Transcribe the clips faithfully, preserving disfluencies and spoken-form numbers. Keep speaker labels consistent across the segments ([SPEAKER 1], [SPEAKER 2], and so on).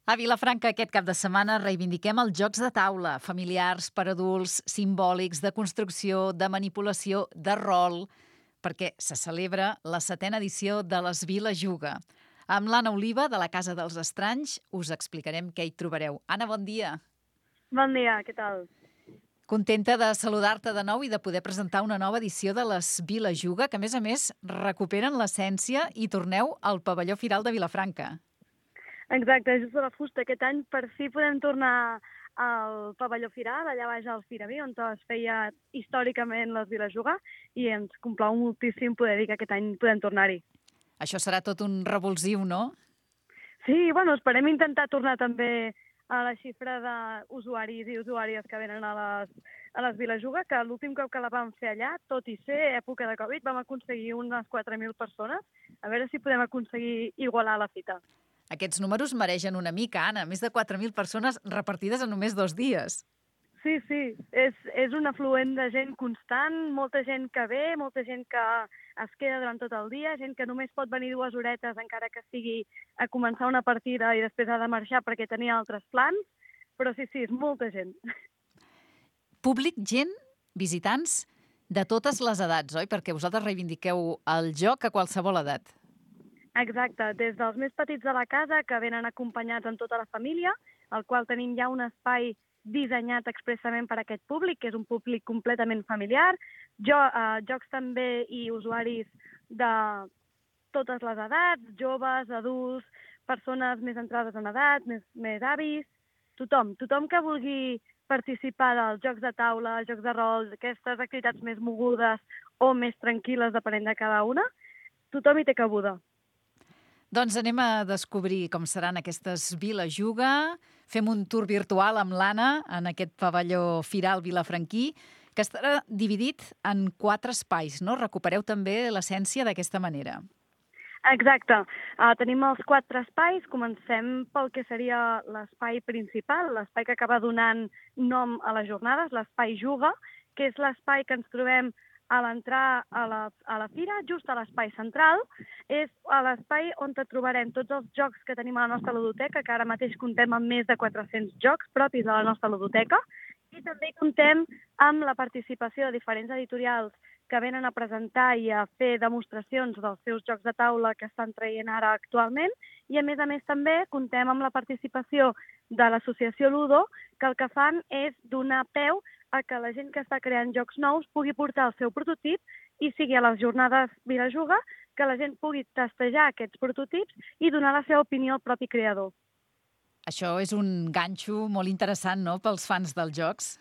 [SPEAKER 1] A Vilafranca aquest cap de setmana reivindiquem els jocs de taula, familiars per adults, simbòlics, de construcció, de manipulació, de rol, perquè se celebra la setena edició de les Vila Juga. Amb l'Anna Oliva, de la Casa dels Estranys, us explicarem què hi trobareu. Anna, bon dia.
[SPEAKER 2] Bon dia, què tal?
[SPEAKER 1] Contenta de saludar-te de nou i de poder presentar una nova edició de les Vila Juga, que a més a més recuperen l'essència i torneu al pavelló Firal de Vilafranca.
[SPEAKER 2] Exacte, just de la fusta. Aquest any per fi podem tornar al pavelló Firal, allà baix al Firaví, on es feia històricament les Vila Juga, i ens complau moltíssim poder dir que aquest any podem tornar-hi.
[SPEAKER 1] Això serà tot un revulsiu, no?
[SPEAKER 2] Sí, bueno, esperem intentar tornar també a la xifra d'usuaris i usuàries que venen a les, a les Vila Juga, que l'últim cop que la vam fer allà, tot i ser època de Covid, vam aconseguir unes quatre mil persones. A veure si podem aconseguir igualar la fita.
[SPEAKER 1] Aquests números mereixen una mica, Anna. Més de quatre mil persones repartides en només dos dies.
[SPEAKER 2] Sí, sí. És, és un afluent de gent constant, molta gent que ve, molta gent que es queda durant tot el dia, gent que només pot venir dues horetes encara que sigui a començar una partida i després ha de marxar perquè tenia altres plans. Però sí, sí, és molta gent.
[SPEAKER 1] Públic, gent, visitants de totes les edats, oi? Perquè vosaltres reivindiqueu el joc a qualsevol edat.
[SPEAKER 2] Exacte, des dels més petits de la casa, que venen acompanyats amb tota la família, al qual tenim ja un espai dissenyat expressament per a aquest públic, que és un públic completament familiar, jo, eh, jocs també i usuaris de totes les edats, joves, adults, persones més entrades en edat, més, més avis, tothom, tothom que vulgui participar dels jocs de taula, jocs de rol, aquestes activitats més mogudes o més tranquil·les, depenent de cada una, tothom hi té cabuda.
[SPEAKER 1] Doncs anem a descobrir com seran aquestes Vila Juga. Fem un tour virtual amb l'Anna en aquest pavelló Firal vilafranquí, que estarà dividit en quatre espais, no? Recupereu també l'essència d'aquesta manera.
[SPEAKER 2] Exacte. Uh, tenim els quatre espais. Comencem pel que seria l'espai principal, l'espai que acaba donant nom a les jornades, l'espai Juga, que és l'espai que ens trobem a l'entrar a, la, a la fira, just a l'espai central. És a l'espai on trobarem tots els jocs que tenim a la nostra ludoteca, que ara mateix comptem amb més de quatre-cents jocs propis de la nostra ludoteca, i també comptem amb la participació de diferents editorials que venen a presentar i a fer demostracions dels seus jocs de taula que estan traient ara actualment, i a més a més també comptem amb la participació de l'associació Ludo, que el que fan és donar peu a que la gent que està creant jocs nous pugui portar el seu prototip i sigui a les jornades Vila Juga que la gent pugui testejar aquests prototips i donar la seva opinió al propi creador.
[SPEAKER 1] Això és un ganxo molt interessant, no?, pels fans dels jocs.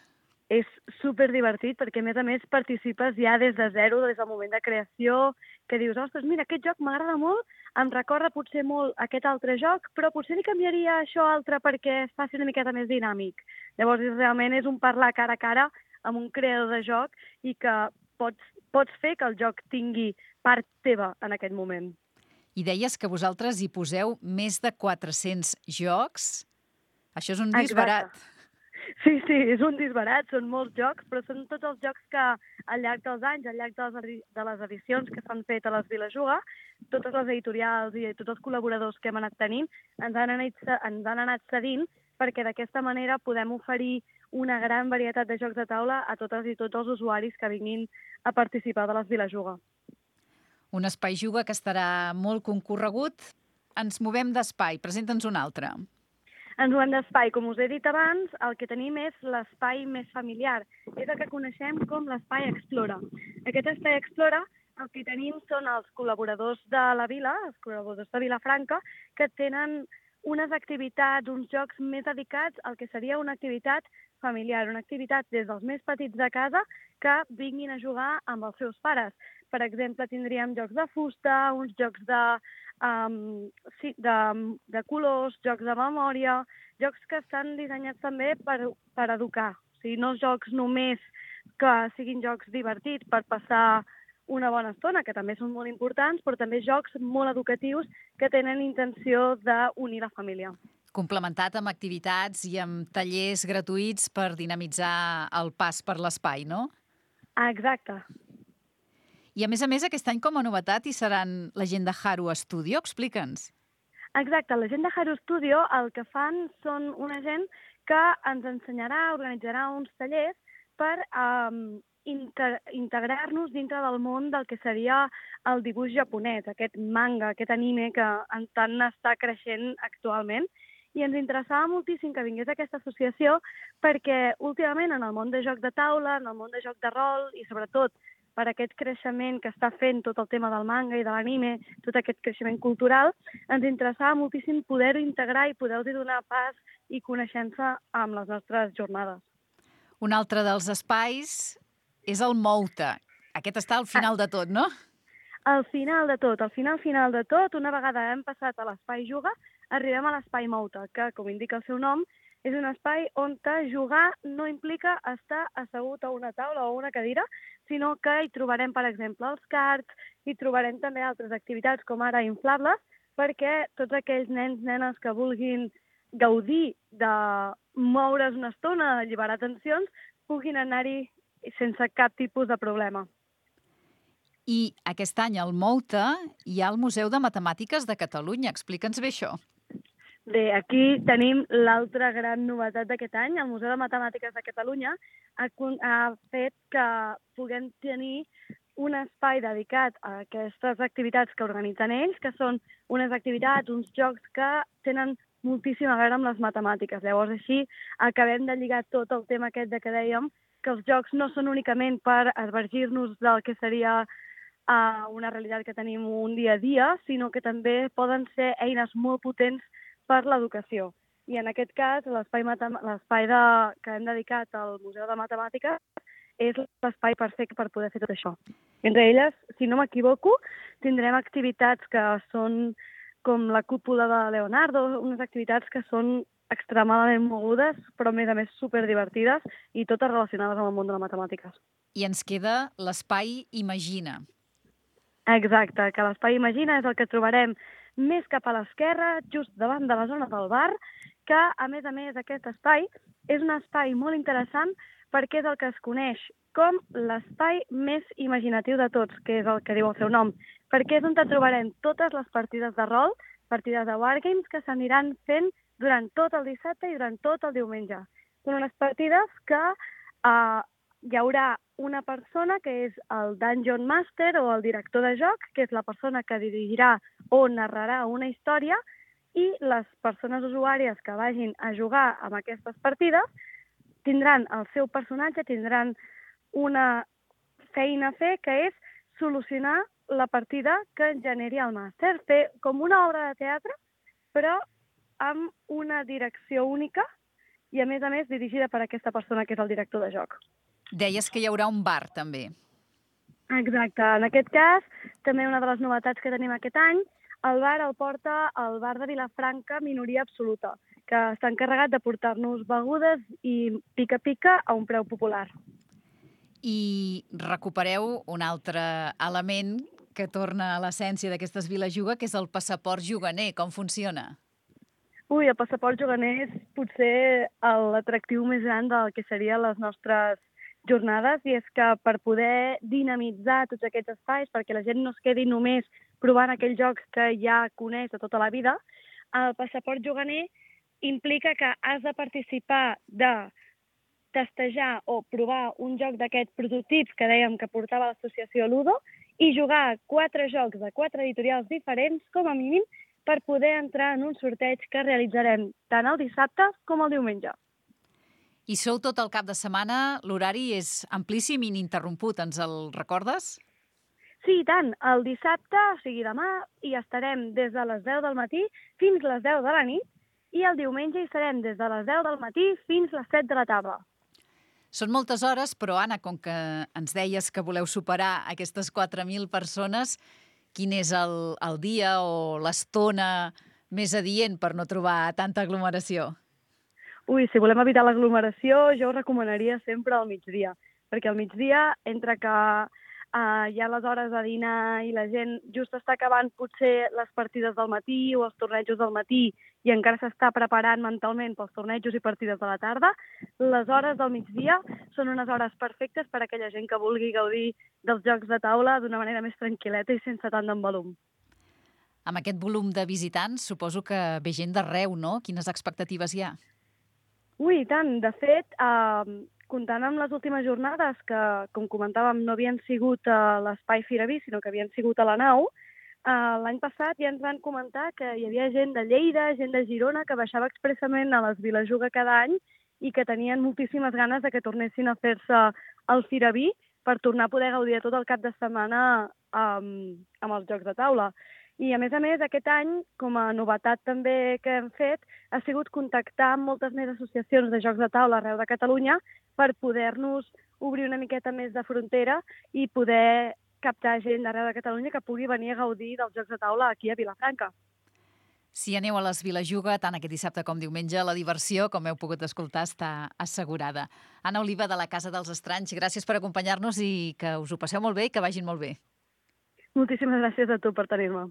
[SPEAKER 2] És superdivertit perquè, a més a més, participes ja des de zero, des del moment de creació, que dius, ostres, mira, aquest joc m'agrada molt, em recorda potser molt aquest altre joc, però potser li canviaria això altre perquè es faci una miqueta més dinàmic. Llavors, realment és un parlar cara a cara amb un creador de joc i que pots, pots fer que el joc tingui part teva en aquest moment.
[SPEAKER 1] I deies que vosaltres hi poseu més de quatre-cents jocs. Això és un disbarat.
[SPEAKER 2] Exacte. Sí, sí, és un disbarat, són molts jocs, però són tots els jocs que al llarg dels anys, al llarg de les, de les edicions que s'han fet a les Vila Juga, totes les editorials i tots els col·laboradors que hem anat tenint ens han anat, ens han anat cedint perquè d'aquesta manera podem oferir una gran varietat de jocs de taula a totes i tots els usuaris que vinguin a participar de les Vila Juga.
[SPEAKER 1] Un espai Juga que estarà molt concorregut. Ens movem d'espai, presenta'ns un altre.
[SPEAKER 2] Ens movem d'espai. Com us he dit abans, el que tenim és l'espai més familiar. És el que coneixem com l'espai Explora. Aquest espai Explora, el que tenim són els col·laboradors de la vila, els col·laboradors de Vilafranca, que tenen unes activitats, uns jocs més dedicats al que seria una activitat familiar, una activitat des dels més petits de casa que vinguin a jugar amb els seus pares. Per exemple, tindríem jocs de fusta, uns jocs de, um, sí, de, de colors, jocs de memòria, jocs que estan dissenyats també per, per educar. O sigui, no jocs només que siguin jocs divertits per passar una bona estona, que també són molt importants, però també jocs molt educatius que tenen intenció d'unir la família.
[SPEAKER 1] Complementat amb activitats i amb tallers gratuïts per dinamitzar el pas per l'espai, no?
[SPEAKER 2] Exacte.
[SPEAKER 1] I a més a més, aquest any com a novetat hi seran la gent de Haru Studio. Explica'ns.
[SPEAKER 2] Exacte, la gent de Haro Studio el que fan són una gent que ens ensenyarà, organitzarà uns tallers per um, inter integrar-nos dintre del món del que seria el dibuix japonès, aquest manga, aquest anime que en tant està creixent actualment. I ens interessava moltíssim que vingués aquesta associació perquè últimament en el món de joc de taula, en el món de joc de rol i sobretot per aquest creixement que està fent tot el tema del manga i de l'anime, tot aquest creixement cultural, ens interessava moltíssim poder-ho integrar i poder-hi donar pas i coneixença amb les nostres jornades.
[SPEAKER 1] Un altre dels espais és el Mouta. Aquest està al final de tot, no?
[SPEAKER 2] Al final de tot, al final final de tot, una vegada hem passat a l'espai Juga, arribem a l'espai Mouta, que, com indica el seu nom, és un espai on jugar no implica estar assegut a una taula o a una cadira, sinó que hi trobarem, per exemple, els cards, hi trobarem també altres activitats com ara inflables, perquè tots aquells nens, nenes que vulguin gaudir de moure's una estona, alliberar tensions, puguin anar-hi sense cap tipus de problema.
[SPEAKER 1] I aquest any al Mouta hi ha el Museu de Matemàtiques de Catalunya. Explica'ns bé això.
[SPEAKER 2] Bé, aquí tenim l'altra gran novetat d'aquest any. El Museu de Matemàtiques de Catalunya ha, ha fet que puguem tenir un espai dedicat a aquestes activitats que organitzen ells, que són unes activitats, uns jocs que tenen moltíssim a veure amb les matemàtiques. Llavors, així acabem de lligar tot el tema aquest de que dèiem que els jocs no són únicament per advergir-nos del que seria uh, una realitat que tenim un dia a dia, sinó que també poden ser eines molt potents per l'educació. I en aquest cas, l'espai que hem dedicat al Museu de Matemàtiques és l'espai perfecte per poder fer tot això. Entre elles, si no m'equivoco, tindrem activitats que són com la cúpula de Leonardo, unes activitats que són extremadament mogudes, però a més a més superdivertides i totes relacionades amb el món de les matemàtiques.
[SPEAKER 1] I ens queda l'espai Imagina.
[SPEAKER 2] Exacte, que l'espai Imagina és el que trobarem més cap a l'esquerra, just davant de la zona del bar, que, a més a més, aquest espai és un espai molt interessant perquè és el que es coneix com l'espai més imaginatiu de tots, que és el que diu el seu nom, perquè és on trobarem totes les partides de rol, partides de wargames, que s'aniran fent durant tot el dissabte i durant tot el diumenge. Són unes partides que eh, hi haurà una persona que és el Dungeon Master o el director de joc, que és la persona que dirigirà o narrarà una història, i les persones usuàries que vagin a jugar amb aquestes partides tindran el seu personatge, tindran una feina a fer, que és solucionar la partida que generi el màster. Fer com una obra de teatre, però amb una direcció única i, a més a més, dirigida per aquesta persona que és el director de joc.
[SPEAKER 1] Deies que hi haurà un bar, també.
[SPEAKER 2] Exacte. En aquest cas, també una de les novetats que tenim aquest any, el bar el porta el bar de Vilafranca Minoria Absoluta, que està encarregat de portar-nos begudes i pica-pica a un preu popular.
[SPEAKER 1] I recupereu un altre element que torna a l'essència d'aquestes Viles Juga, que és el passaport juganer. Com funciona?
[SPEAKER 2] Ui, el passaport juganer és potser l'atractiu més gran del que serien les nostres jornades, i és que per poder dinamitzar tots aquests espais, perquè la gent no es quedi només provant aquells jocs que ja coneix de tota la vida, el passaport juganer implica que has de participar de testejar o provar un joc d'aquests prototips que dèiem que portava l'associació Ludo i jugar quatre jocs de quatre editorials diferents, com a mínim, per poder entrar en un sorteig que realitzarem tant el dissabte com el diumenge.
[SPEAKER 1] I sou tot el cap de setmana, l'horari és amplíssim i ininterromput, ens el recordes?
[SPEAKER 2] Sí, i tant. El dissabte, o sigui demà, hi estarem des de les deu del matí fins a les deu de la nit, i el diumenge hi serem des de les deu del matí fins a les set de la tarda.
[SPEAKER 1] Són moltes hores, però Anna, com que ens deies que voleu superar aquestes quatre mil persones, quin és el, el dia o l'estona més adient per no trobar tanta aglomeració?
[SPEAKER 2] Ui, si volem evitar l'aglomeració, jo us recomanaria sempre al migdia, perquè al migdia, entre que uh, hi ha les hores de dinar i la gent just està acabant potser les partides del matí o els tornejos del matí i encara s'està preparant mentalment pels tornejos i partides de la tarda, les hores del migdia són unes hores perfectes per a aquella gent que vulgui gaudir dels jocs de taula d'una manera més tranquil·leta i sense tant d'embalum.
[SPEAKER 1] Amb aquest volum de visitants, suposo que ve gent d'arreu, no? Quines expectatives hi ha?
[SPEAKER 2] Ui, i tant. De fet, eh, comptant amb les últimes jornades, que, com comentàvem, no havien sigut a l'espai Firaví, sinó que havien sigut a la nau, eh, l'any passat ja ens van comentar que hi havia gent de Lleida, gent de Girona, que baixava expressament a les Vilajuga cada any i que tenien moltíssimes ganes de que tornessin a fer-se el Firaví per tornar a poder gaudir de tot el cap de setmana amb, amb els jocs de taula. I, a més a més, aquest any, com a novetat també que hem fet, ha sigut contactar amb moltes més associacions de jocs de taula arreu de Catalunya per poder-nos obrir una miqueta més de frontera i poder captar gent d'arreu de Catalunya que pugui venir a gaudir dels jocs de taula aquí a Vilafranca.
[SPEAKER 1] Si aneu a les Vilajuga, tant aquest dissabte com diumenge, la diversió, com heu pogut escoltar, està assegurada. Anna Oliva, de la Casa dels Estranys, gràcies per acompanyar-nos i que us ho passeu molt bé i que vagin molt bé.
[SPEAKER 2] Moltíssimes gràcies a tu per tenir-me.